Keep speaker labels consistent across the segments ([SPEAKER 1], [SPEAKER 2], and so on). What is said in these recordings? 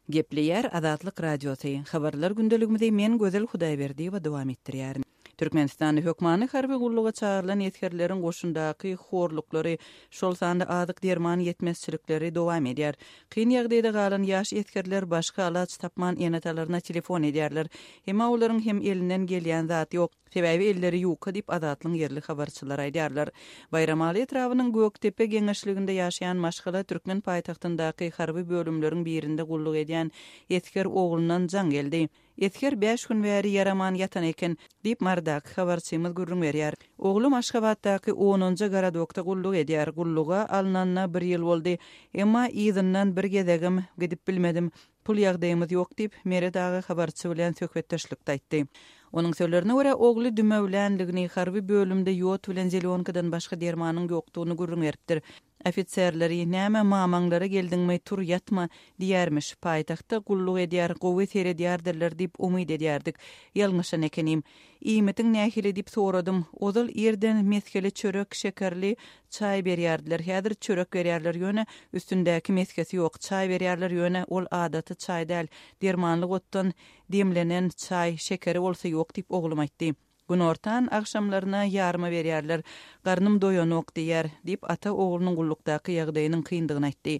[SPEAKER 1] Gepleýär Azatlyk Radiosy, Habarlar gündeligimizi men Gözel Hudaýberdiýewa dowam etdirýärin. Türkmenistanda hökmany harby gulluga çagyrylan esgerleriň goşundaky horluklary, şol sanda azyk-derman ýetmezçilikleri dowam edýär. Kyn ýagdaýda galan ýaş esgerler başga alaç tapman ene-atalaryna telefon edýärler. Emma olaryň hem elinden gelýän zat ýok. Sebäbi elleri ýuka diýip, Azatlygyň ýerli habarçylary aýdýarlar. Baýramaly etrabynyň Gökdepe geňeşliginde ýaşaýan maşgala türkmen paýtagtyndaky harby bölümleriň birinde gulluk edýän esger oglundan jaň geldi. Esger bäş gün bäri ýaraman ýatan eken, diýip, Marydaky habarçymyz gürrüň berýär. Oglum Aşgabatdaky onunjy gorodokda gulluk edýär. Gulluga alnanyna bir ýyl boldy. Emma yzyndan bir gezegem gidip bilmedim. Pul ýagdaýymyz ýok diýip, Meret aga habarçy bilen söhbetdeşlikde aýtdy. Onuň sözlerine görä, ogly dümewlänligini, harby bölümde ýod bilen zelýonkadan başga dermanyň ýokdugyny gürrüň beripdir. Ofiserleri, näme mamaňlara geldiňmi, tur ýatma, diýermiş. Paýtagtda gulluk edýär, gowy seredýärdirler diýip umyt edýärdik. Ýalňyşan ekenim. Iýmitiň nähili diýip soradym. Ozal irden mesgeli çörek, şekerli çaý berýärdiler. Häzir çörek berýärler, ýöne üstündäki mesgesi ýok. Çaý berýärler, ýöne ol adaty çaý däl. Dermanlyk otdan demlenen çaý, şekeri bolsa ýok diýip oglum aýtdy. Günortan, agşamlaryna ýarma berýärler. Garnym doýanok diýýär, diýip, ata oglunyň gullukdaky ýagdaýynyň kyndygyny aýtdy.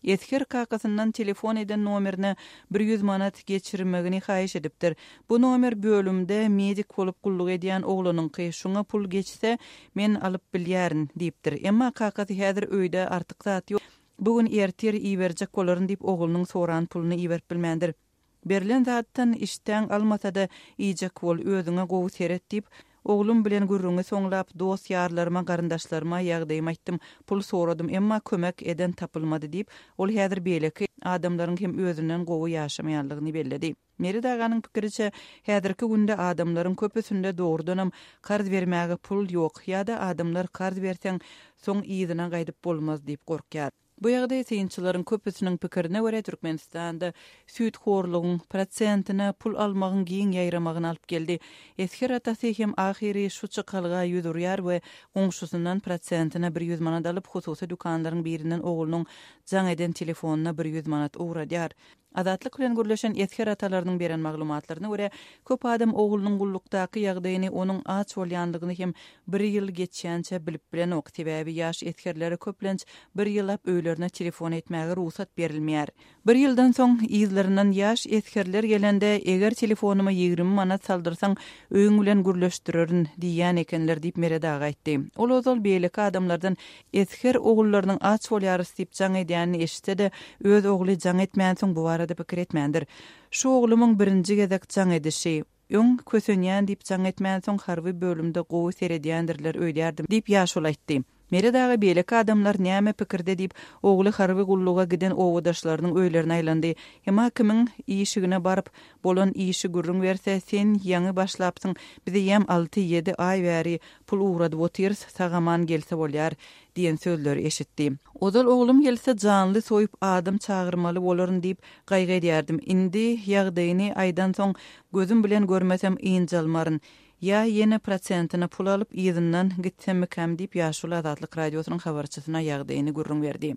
[SPEAKER 1] Esger kakasyndan telefon eden nomerine 100 manat geçirmegini haýyş edipdir. Bu nomer bölümde medik bolup gulluk edýän oglanyňky, şuňa pul geçse, men alyp bilýärin, diýipdir. Emma kakasy häzir öýde artyk zat ýok, bu gün ertir iberjek bolaryn diýip, oglunyň soran puluny iberip bilmändir. Berlen zatdan işdäň almasa-da, iýjek bol, özüňe gowy seret diýip, oglum bilen gürrüňi soňlap, dost-ýarlaryma, garyndaşlaryma ýagdaýymy aýtdym, pul soradym, emma kömek eden tapylmady diýip, ol häzir beýleki adamlaryň hem özünden gowy ýaşamaýanlygyny belledi. Meret aganyň pikiriçe, häzirki günde adamlaryň köpüsinde dogrudanam karz bermäge pul ýok ýa-da adamlar karz berseň, soň yzyna gaýdyp bolmaz diýip gorkýar. Bu ýagdaý synçylaryň köpüsiniň pikirine görä Türkmenistanda süýthorlugyň, prosentine pul almagyň giň ýaýramagyna alyp geldi. Esger atasy hem ahyry şu çykalga ýüz urýar we goňşusyndan prosentine 100 manat alyp hususy dükanlaryň birinden oglunyň jaň eden telefonyna 100 manat ugradýar. Azatlyk bilen gürleşen esger atalarynyň beren maglumatlaryna görä, köp adam oglunyň gullukdaky ýagdaýyny, onuň aç bolýanlygyny hem bir ýyl geçýänçä bilip bilenok. Sebäbi ýaş esgerlere köplenç bir ýyllap öýlerine telefon etmäge rugsat berilmeýär. Bir ýyldan soň yzlaryndan ýaş esgerler gelende, eger telefonyma 20 manat saldyrsaň, öýüň bilen gürleşdirerin diýýän ekenler diýip, Meret aga aýtdy. Ol ozal beýleki adamlardan Esger ogullarynyň aç bolýarys diýip jaň edýänini eşitse-de, öz ogly jaň etmänsoň bu barada pikir etmändir. Şu oglumyň birinji gezek jaň edişi. Öň kösenýän diýip jaň etmänsoň harby bölümde gowy seredýändirler öýdýärdim diýip ýaşuly aýtdy. Meret aga beýleki adamlar näme pikirde diýip, ogly harby gulluga giden obadaşlarynyň öýlerine aýlandy. Emma kimiň işigine baryp, bolan işi gürrüň berse, sen ýaňy başlapsyň, biz eýýäm alty-ýedi aý bäri Pul ugradyp otyrys, sag-aman gelse bolýar, diýen sözleri eşitdi. Ozal oglum gelse janly soýup adam çagyrmaly bolaryn diýip gaýgy edýärdim. Indi ýagdaýyny aýdansoň gözüm bilen görmesem ynjalmaryn. Ýa ýene prosentine pul alyp yzyndan gitsemmikäm diýip ýaşuly Azatlyk Radiosynyň habarçysyna ýagdaýyny gürrüň berdi.